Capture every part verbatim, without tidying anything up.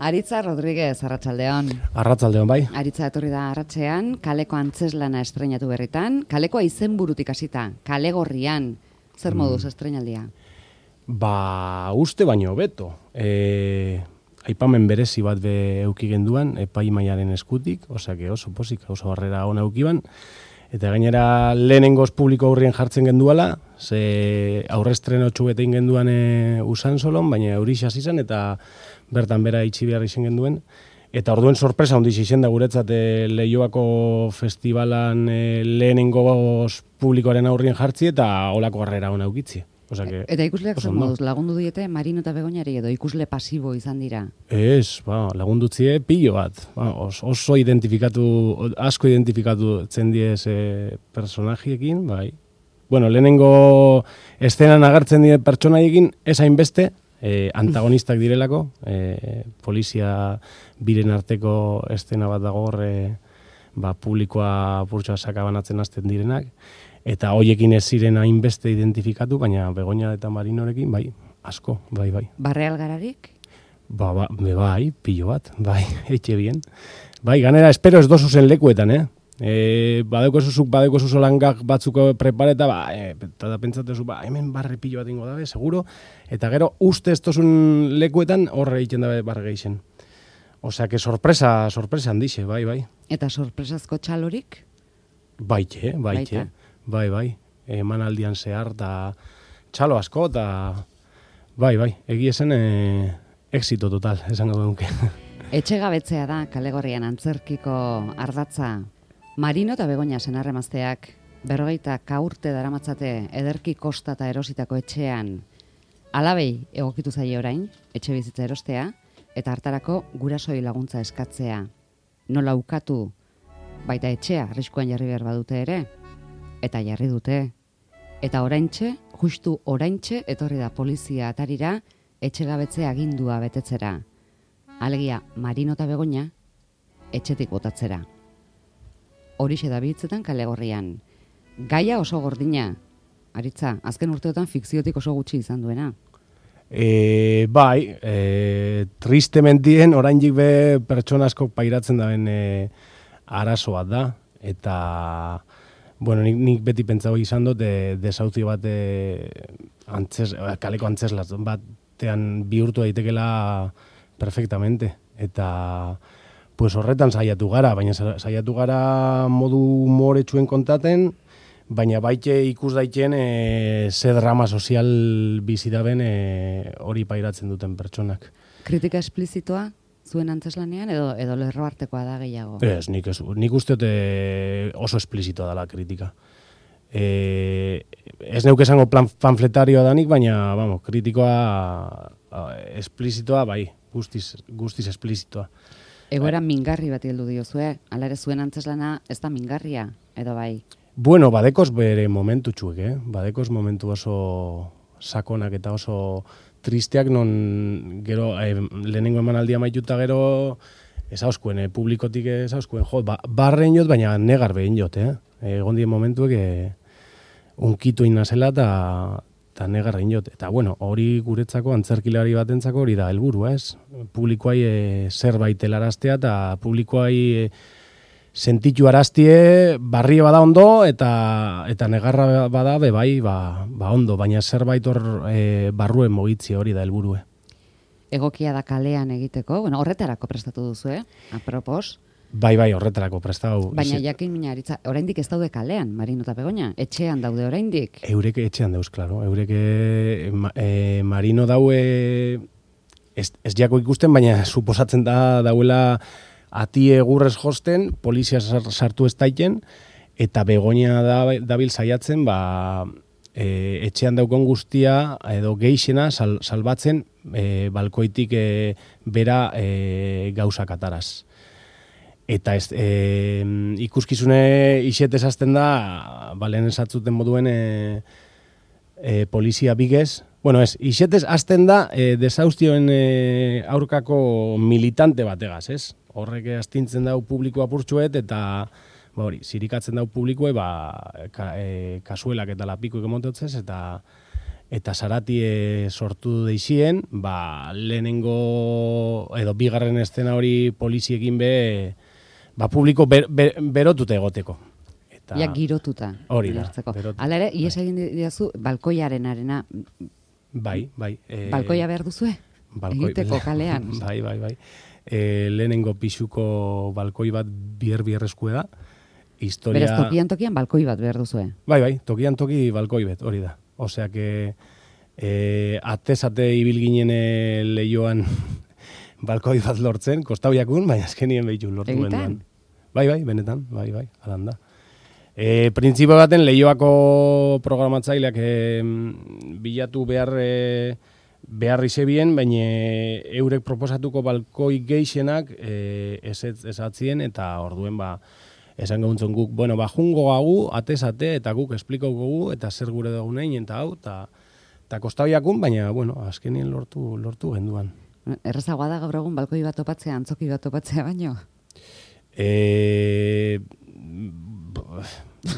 Aritza Rodríguez, arratsaldeon. Arratsaldeon, bai. Aritza etorri da arratsean, kaleko antzeslana estrenatu berritan, kalekoa izenburutik hasita, kale gorrian, zer moduz estrenaldia? Ba, uste baino hobeto. E, aipamen berezi bat be euki genduan, epaimaiaren eskutik, osake oso posik, oso harrera ona eukiban, eta gainera lehenengoz publiko aurrien jartzen genduala, ze aurrestreno txubetein genduan e, usan solon, baina eurixas izan, eta bertan bera itxi behar izan genduen. Eta orduen sorpresa ondiz izen da guretzat e, Leioako festivalan e, lehenengoz publikoaren aurrien jartzi, eta olako harrera ona eukitzi. Osake, eta ikusleak zer moduz, lagundu diete Marino eta Begoñari edo ikusle pasibo izan dira? Ez, ba, lagundutzie pilo bat. Ba, os, oso identifikatu, asko identifikatu zendiez e, personajiekin, bai. Bueno, lehenengo eszenan agertzen die pertsonaiekin, ez hainbeste, e, antagonistak direlako, e, polizia biren arteko eszena bat dago hor, e, ba, publikoa purtsoa sakabanatzen hasten direnak, eta hoiekin ez ziren hainbeste identifikatu, baina Begoña eta Marinorekin, bai, asko, bai, bai. Barreal gararik? Ba, ba, bai, pilo bat, bai, eitxe bien. Bai, ganera, espero ez dozu zen lekuetan, eh? E, badeko zuzuk, badeko zuzolangak batzuko prepareta, ba, e, eta da pentsatezu, ba, hemen barre pilo bat ingo dabe, seguro, eta gero uste ez dozun lekuetan horre egiten dabe barre geixen. Osea, que sorpresa, sorpresa handixe, bai, bai. Eta sorpresazko txalorik? Baite, baite, bai, bai. Emanaldian zehar, eta txalo asko, eta bai, bai, egiesen e, éxito total, esango duke. Etxegabetzea da kalegorrian antzerkiko ardatza. Marino eta Begoña senarremazteak berrogeita kaurte daramatzate ederki kosta eta erositako etxean. Alabei egokitu zaie orain, etxe bizitza erostea, eta hartarako gurasoi laguntza eskatzea. Nola ukatu, baita etxea arriskuan jarri behar badute ere, eta jarri dute. Eta oraintxe, justu oraintxe, etorri da polizia atarira etxegabetze agindua betetzera. Alegia, Marino eta Begoña etxetik botatzera. Horixe da biltzetan kalegorrian. Gaia oso gordina. Aritza, azken urteotan fikziotik oso gutxi izan duena. E, bai, e, tristementien oraindik be pertsona asko pairatzen daben e, arazo bat da. Eta, bueno, nik, nik beti pentsau izan dut, de, desauzi bat e, antzes, kaleko antzeslas batean bihurtu daitekela perfectamente. Eta pues horretan saiatu gara, baina saiatu gara modu humoretsuen kontaten, baina baite ikus daiten e, ze drama sozial bizi daben e, hori pairatzen duten pertsonak. Kritika esplizitoa zuen antzeslanean edo edo lerro artekoa da gehiago? Ez, nik, ez, nik uste dut oso esplizitoa dela kritika. E, ez neuk esango plan, panfletarioa danik, baina vamos, kritikoa a, esplizitoa bai, guztiz, guztiz esplizitoa. Egoera mingarri bat heldu diozue, ala ere zuen antzeslana ez da mingarria, edo bai? Bueno, badekoz bere momentu txuek, eh? Badekoz momentu oso sakonak eta oso tristeak, non gero eh, lehenengo emanaldia maituta gero ezauskuen, eh, publikotik ezauskuen, jo, ba, barren jot, baina negar behin jot, eh? Egon dien momentuek eh, unkitu inazela eta eta negarrein jot. Eta bueno, hori guretzako antzerkilari batentzako hori da helburua, ez? Publikoai e, zerbait helaraztea eta publikoai e, sentitu araztie barrie bada ondo eta eta negarra bada be bai, ba, ba ondo, baina zerbait hor e, barruen mogitzi hori da helburue. Egokia da kalean egiteko, bueno, horretarako prestatu duzu, eh? Apropos. Bai, bai, horretarako prestau. Baina jakin mina, Aritza, oraindik ez daude kalean, Marino eta Begoña, etxean daude oraindik. Eurek etxean dauz, klaro. Eurek e, e, Marino daue ez, ez jako ikusten, baina suposatzen da dauela ati egurrez josten, polizia sartu ez daiten, eta Begoña da, dabil saiatzen, ba, e, etxean daukon guztia, edo geixena sal, salbatzen, e, balkoitik e, bera e, gauzak ataraz. Eta ez, e, ikuskizune isetez azten da, balen esatzuten moduen e, e, polizia bigez. Bueno, ez, isetez azten da e, desaustioen e, aurkako militante bategaz, ez? Horrek astintzen dau publikoa purtsuet eta ba hori, zirikatzen dau publikoe, ba, ka, e, kasuelak eta lapikoek emototzez, eta eta Saratie sortu deixien, ba, lehenengo, edo bigarren estena hori poliziekin be, ba, publiko ber, ber, berotute egoteko. Eta, ja, girotuta. Hori da. Hala ere, ies egin diazu, balkoiaren arena. Bai, bai. E, balkoia behar duzue? Balkoi, egiteko kalean. Bai, bai, bai. E, lehenengo pisuko balkoi bat bier-bierrezkue da. Historia... Beraz, tokian tokian balkoi bat behar duzue? Bai, bai, tokian toki balkoi bat, hori da. Osea, que e, atez-ate ibil ginen lehioan balkoi bat lortzen, kostau jakun, baina azkenien behitu lortu benduan. Bai, bai, benetan, bai, bai, alan da. E, Printzipio baten lehioako programatzaileak e, bilatu behar e, behar izebien, baina eurek proposatuko balkoi geixenak e, esatzien, eta orduen ba, esan gauntzen guk, bueno, ba, jungo gagu, atez-ate, eta guk esplikauko gu, eta zer gure dagunein, eta hau, eta, eta kostabiakun, baina, bueno, azkenien lortu, lortu genduan. Errezagoa da gaur egun balkoi bat topatzea, antzoki bat topatzea baino? E,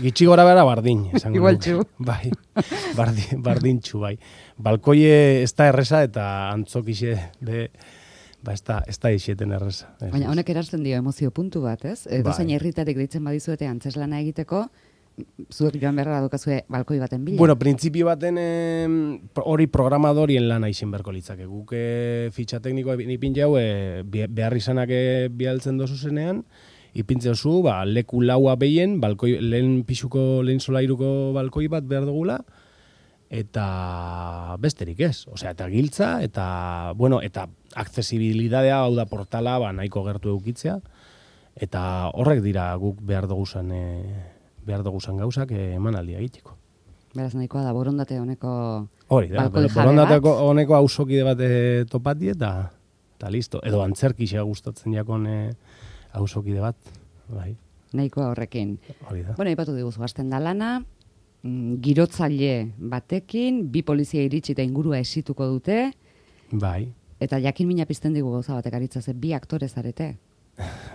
gitxi gora bera bardin. Igual txu. Bai, bardin, bardin txu, bai. Balkoie ez da erreza, eta antzokixe de... Ba, ez da, ez da ixeten erreza. Baina honek erazten dio emozio puntu bat, ez? Edo zain herritarik deitzen badizuete antzeslana egiteko, zuek joan beharra dukazue balkoi baten bila? Bueno, printzipio baten hori eh, programadorien lana izen berko litzake. Guk eh, fitxa teknikoa ipin jau, eh, behar izanak eh, bialtzen dozu zenean, ipintze oso, ba, leku laua behien, balkoi, lehen pixuko, lehen solairuko balkoi bat behar dugula, eta besterik ez. Osea, eta giltza, eta, bueno, eta aksesibilidadea, hau da portala, ba, nahiko gertu eukitzea, eta horrek dira guk behar duguzan, e, behar duguzan gauzak emanaldia egiteko. Beraz, nahikoa da, borondate honeko hori da, balkoi jabe borondate bat. honeko hausokide bat e, topati, eta, eta listo. Edo antzerkixea gustatzen jakon e, hausokide bat, bai. Nahikoa horrekin. Hori da. Bueno, ipatu diguzu, hasten da lana, girotzaile batekin, bi polizia iritsi eta ingurua esituko dute. Bai. Eta jakin mina pizten digu gauza batek aritza ze, bi aktore zarete.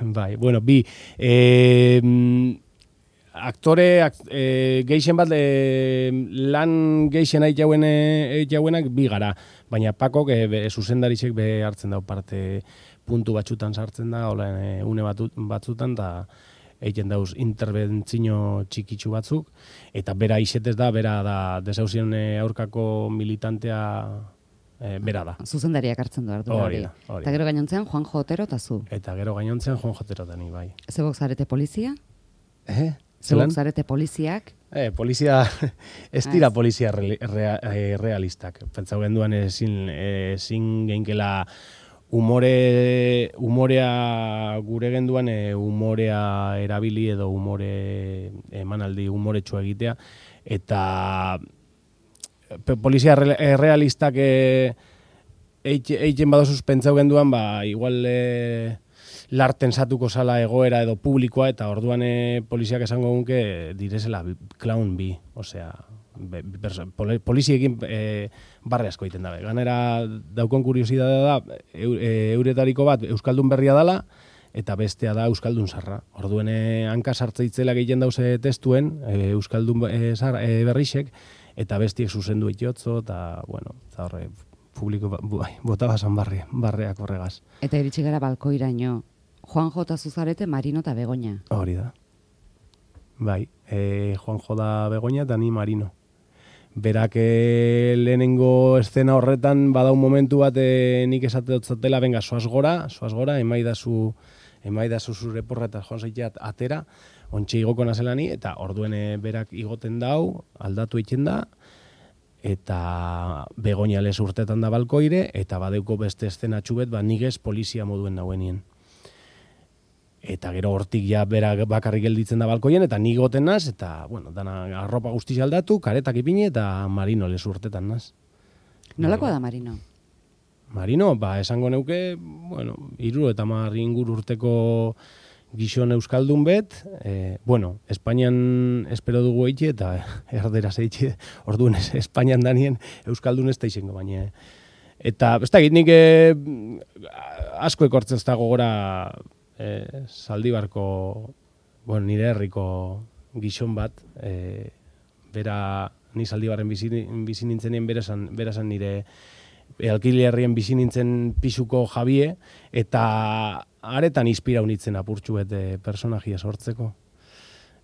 Bai, bueno, bi. E, aktore, akt, e, geixen bat, e, lan geixen ait jauen, e, jauenak bi gara. Baina Pakok, e, be, zuzendarizek be hartzen dau parte puntu batzutan sartzen da, hola, e, une batut, batzutan, eta egiten dauz interbentzino txikitsu batzuk, eta bera isetez da, bera da desauzien aurkako militantea e, bera da. Zuzendariak hartzen du ardura hori. Eta gero gainontzean Juanjo Otero eta zu. Eta gero gainontzean Juanjo Otero eta ni, bai. Zebok zarete polizia? Eh? Zebok zarete poliziak? Eh, polizia, ez dira polizia re, re, realistak. Pentsau genduan ezin, ezin geinkela Umore, umorea gure genduan, e, umorea erabili edo umore emanaldi umoretsua egitea, eta pe, polizia re, realistak e, eitzen badozuz pentsau genduan, ba, igual e, larten satuko zala egoera edo publikoa, eta orduan e, poliziak esango gunke direzela clown bi, osea, Be, pol, poliziekin e, barre asko egiten dabe. Ganera daukon kuriosidadea da, e, euretariko bat Euskaldun berria dala, eta bestea da Euskaldun zarra. Orduen hanka sartzeitzela gehien dauze testuen, e, Euskaldun e, zar, e, berrixek, eta bestiek zuzendu itiotzo, eta, bueno, eta horre, publiko bai, bota basan barre, barreak horregaz. Eta iritsi gara balkoiraino, Juanjo eta Zuzarete, Marino eta Begoña. Hori da. Bai, e, Juanjo da Begoña eta ni Marino. Berak e, lehenengo eszena horretan badau momentu bat e, nik esate dotzatela, venga, soaz gora, soaz gora, emaidazu, emaidazu zure porra eta joan zaitea atera, ontxe igoko nazelani, eta orduen e, berak igoten dau, aldatu egiten da, eta Begoña lez urtetan da balkoire, eta badeuko beste eszena txubet, ba, nigez polizia moduen nauenien. Eta gero hortik ja bera bakarrik gelditzen da balkoien, eta ni goten naz, eta, bueno, dana arropa guztiz aldatu, karetak ipini, eta Marino lezu urtetan naz. Nolakoa da Marino? Marino, ba, esango neuke, bueno, iru eta mar ingur urteko gizon euskaldun bet, e, bueno, Espainian espero dugu eitxe, eta erderaz eitxe, orduan Espainian danien euskaldun ez da izango, baina. Eta, ez da, nik e, asko ekortzen ez da gogora, E, Zaldibarko, bueno, nire herriko gizon bat, e, bera ni Zaldibarren bizi, bizi nintzenien berazan, berazan nire alkilerrien bizi nintzen pisuko Jabie, eta aretan inspirau nintzen apurtxu bete personajia sortzeko.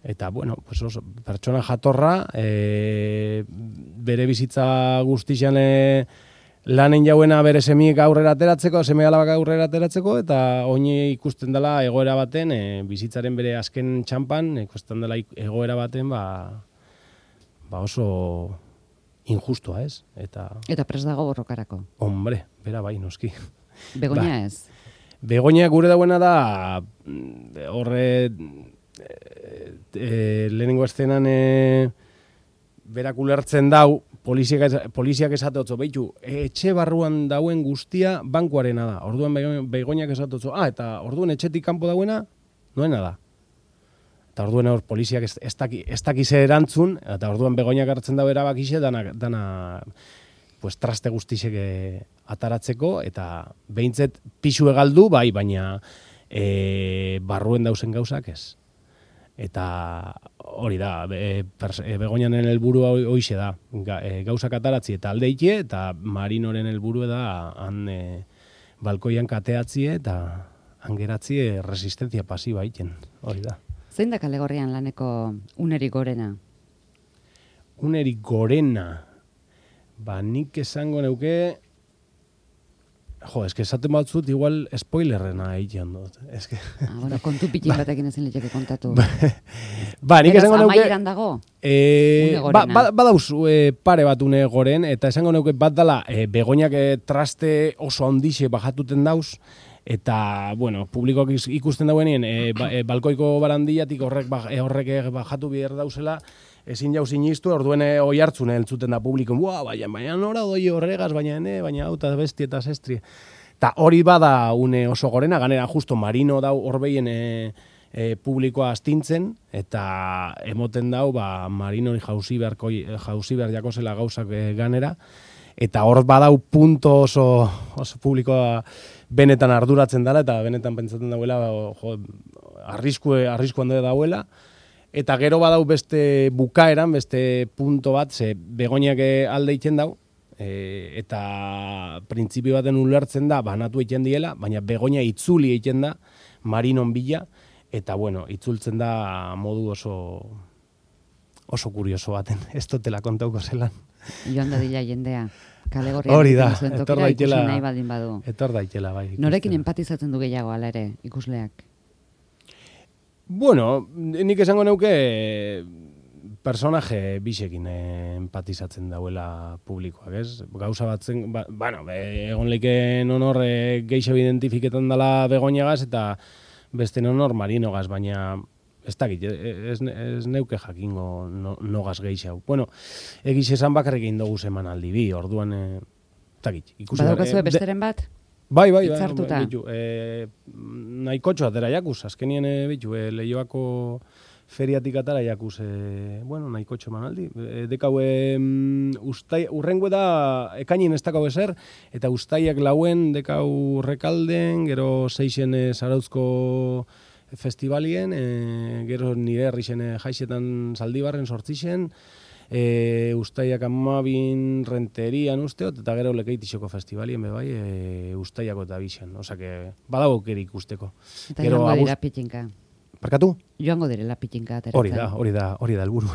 Eta, bueno, pues oso, pertsona jatorra, e, bere bizitza guztixan e, lanen jauena bere semiek aurrera ateratzeko, seme alabak aurrera ateratzeko, eta oine ikusten dela egoera baten, e, bizitzaren bere azken txampan, ikusten dela egoera baten, ba, ba oso injustua, ez? Eta, eta prest dago borrokarako. Hombre, bera bai, noski. Begoña ba, ez? Begoña gure dauena da, horre, e, e, lehenengo estenan e, berak ulertzen dau, poliziak, poliziak esatotzo, behitu, etxe barruan dauen guztia bankuarena da. Orduan Begoñak esatotzo, ah, eta orduan etxetik kanpo dauena, noena da. Eta orduan hor poliziak ez, ez, daki, ez dakize erantzun, eta orduan Begoñak hartzen dau erabakixe, dana, dana pues, traste guztizek ataratzeko, eta behintzet pisu egaldu, bai, baina e, barruen dauzen gauzak ez. Eta hori da, e, e, Begoñanen helburua hoixe da, Ga, e, gauzak ataratzi eta aldeikie, eta Marinoren helburua da han e, balkoian kateatzie eta hangeratzie resistentzia pasiba egiten, hori da. Zein da Kalegorrian laneko unerik gorena? Unerik gorena, ba nik esango neuke, jo, eske esaten batzut, igual spoilerrena egiten dut. Eske... Ah, bueno, kontu pitin batekin ezin letxeke kontatu. Ba, nik esango neuke... Beraz, amaieran dago? E, ba, ba, badauz e, pare bat une goren, eta esango neuke bat dala, e, Begoñak e, traste oso handixe bajatuten dauz, eta, bueno, publikoak ikusten dauenien, e, ba, e, balkoiko barandiatik horrek, ba, e, horrek bajatu behar dauzela, ezin jau sinistu, orduen oi hartzun entzuten da publiko, buah, baina, baina nora doi horregaz, baina ene, baina hau eta besti eta zestri. Ta hori bada une oso gorena, ganera justo Marino dau horbeien e, e, publikoa astintzen, eta emoten dau, ba, Marino jauzi beharko, jauzi behar jakosela gauzak e, ganera, eta hor badau punto oso, oso publikoa benetan arduratzen dela, eta benetan pentsatzen dauela, jo, arrisku, arriskuan dauela, eta gero badau beste bukaeran, beste punto bat, ze Begoñak alde egiten dau, e, eta printzipio baten ulertzen da, banatu egiten diela, baina Begoña itzuli egiten da, Marinon bila, eta bueno, itzultzen da modu oso oso kurioso baten, ez dutela kontauko zelan. Joan da dila jendea, Kalegorrian hori da, zuen etor tokira daitela, ikusi nahi baldin badu. Etor daitela, bai. Norekin empatizatzen du gehiago ala ere, ikusleak? Bueno, nik esango neuke personaje bisekin empatizatzen dauela publikoak, ez? Gauza batzen, ba, bueno, egon leiken honor e, geixo identifiketan dela Begoñagaz eta beste honor Marinogaz, baina ez dakit, ez, ez neuke jakingo no, nogaz geixau. Bueno, egiz esan bakarrik egin dugu zeman aldi bi, orduan, e, ez dakit. Badaukazue e, besteren bat? Bai, bai, bai, Itzartuta. bitu, e, nahikotxo atera jakuz, azkenien e, bitu, e, Leioako feriatik atara jakuz, e, bueno, nahikotxo manaldi. E, dekau, e, ustai, urrengo da, ekainin ez dakau ezer, eta ustaiak lauen dekau Rekalden, gero seixen e, Zarauzko festivalien, e, gero nire herrixen e, jaixetan Zaldibarren sortzixen, E, ustaiak amabin renterian usteot, eta gero Lekeitixoko festivalien bebai, e, ustaiako eta bixen. Osa, que badago kerik usteko. Eta gero joango dira pitinka. Parkatu? Joango direla pitinka ateratzen. Hori da, hori da, hori da helburu.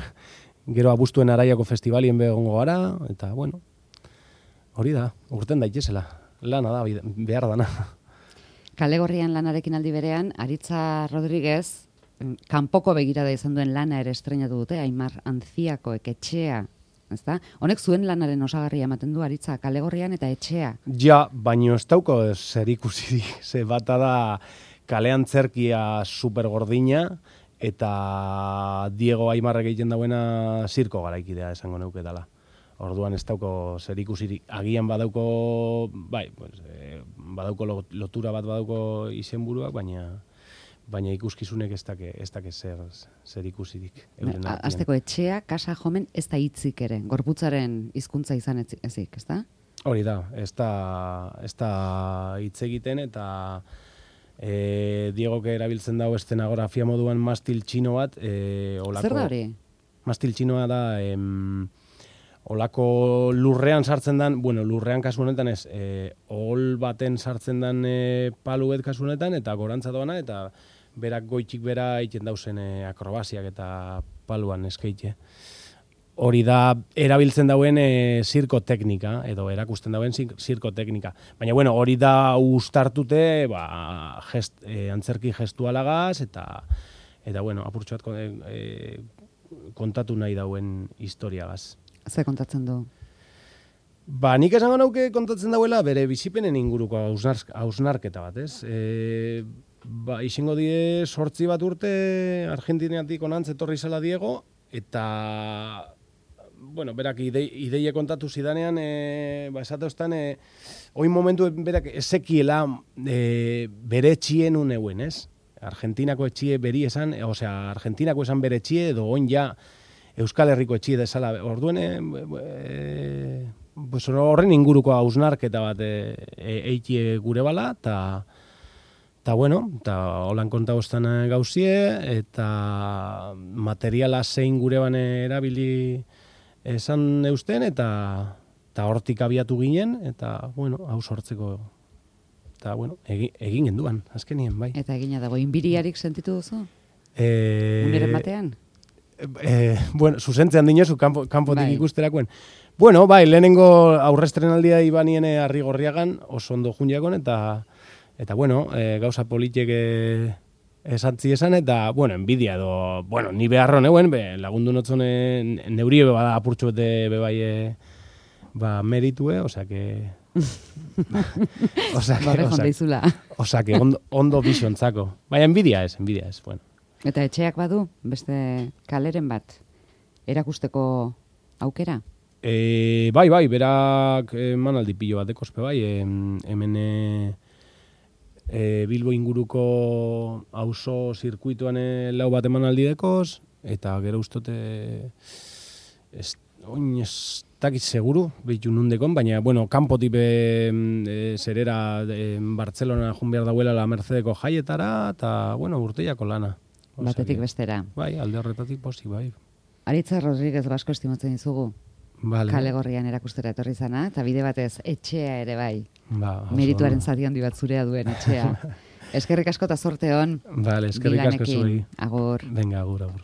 Gero abuztuen Araiako festivalien begongo gara, eta bueno, hori da, urten daitezela. Lana da, behar dana. Kalegorrian lanarekin aldi berean, Aritza Rodríguez, kanpoko begirada izan duen lana ere estreinatu dute, Aimar Antziakoek etxea, ezta? Honek zuen lanaren osagarria ematen du Aritza, Kalegorrian eta etxea. Ja, baino ez dauko zer ikusirik, ze bata da kalean zerkia supergordina, eta Diego Aimarrek egiten dauena zirko garaikidea esango neuke dela. Orduan ez dauko zer ikusirik, agian badauko, bai, pues, eh, badauko lotura bat badauko izenburuak, baina baina ikuskizunek ez dake, ez dake zer, zer ikusirik. Azteko etxea, kasa jomen, ez da hitzik ere, gorputzaren hizkuntza izan ezik, ez da? Hori da, ez da, ez da hitz egiten, eta e, Diegok erabiltzen dago estenografia moduan mastil txino bat. E, olako, zer da hori? Mastil txinoa da, em, olako lurrean sartzen dan, bueno, lurrean kasu honetan ez, e, ohol baten sartzen dan e, paluet kasu honetan, eta gorantza doana, eta berak goitik bera egiten dauzen e, akrobasiak eta paluan eskaite. Hori da, erabiltzen dauen e, zirko teknika, edo erakusten dauen zirko teknika. Baina, bueno, hori da ustartute, ba, gest, e, antzerki gestualagaz, eta, eta bueno, apurtxo bat e, e, kontatu nahi dauen historiagaz. Ze kontatzen du? Ba, nik esango nauke kontatzen dauela bere bizipenen inguruko hausnarketa bat, ez? E, ba, izingo die sortzi bat urte Argentinatik onantz etorri zela Diego, eta, bueno, berak ide, ideie kontatu zidanean, e, ba, esate ostan, e, oin momentu berak ezekiela e, bere etxien uneuen, ez? Argentinako etxie beri esan, osea, Argentinako esan bere etxie, edo oin ja Euskal Herriko etxie desala, orduen, e, e, pues horren inguruko hausnarketa bat eiti e, gure bala, eta eta bueno, eta holan konta bostan gauzie, eta materiala zein gure bane erabili esan eusten, eta eta hortik abiatu ginen, eta bueno, hau sortzeko, eta bueno, egin, egin genduan, azkenien, bai. Eta egina dago, inbiriarik sentitu duzu? E, Uneren batean? Eh, bueno, zuzentzean dinozu, kanpo, kanpotik bai. Ikusterakoen. Bueno, bai, lehenengo aurrestrenaldia ibaniene Arrigorriagan, oso ondo jundiakon, eta, eta bueno, e, gauza politiek esantzi esan, eta, bueno, enbidia edo, bueno, ni beharro neuen, be, lagundu notzone, neurie bada apurtxo bete bebai, e, ba, meritue, osea que... osea que, osea, osea que ondo, ondo biziontzako. Baina enbidia ez, enbidia ez, bueno. Eta etxeak badu, beste kaleren bat, erakusteko aukera? E, bai, bai, berak emanaldi pilo bat ekospe bai, e, hemen e, e, Bilbo inguruko auzo zirkuituan e, lau bat emanaldi dekoz, eta gero ustote, ez, oin ez dakit seguru, behitu nundekon, baina, bueno, kanpotik be, e, zerera e, Bartzelona jun behar dauela la Mercedeko jaietara, eta, bueno, urteiako lana. Batetik bestera. Bai, alde horretatik posi, bai. Aritza Rodríguez Basko estimatzen dizugu. Vale. Kale Gorrian erakustera etorri zana, eta bide batez etxea ere bai. Ba, merituaren zati handi bat zurea duen etxea. Eskerrik asko eta zorte hon. Vale, eskerrik asko zuei. Agur. Venga, agur, agur.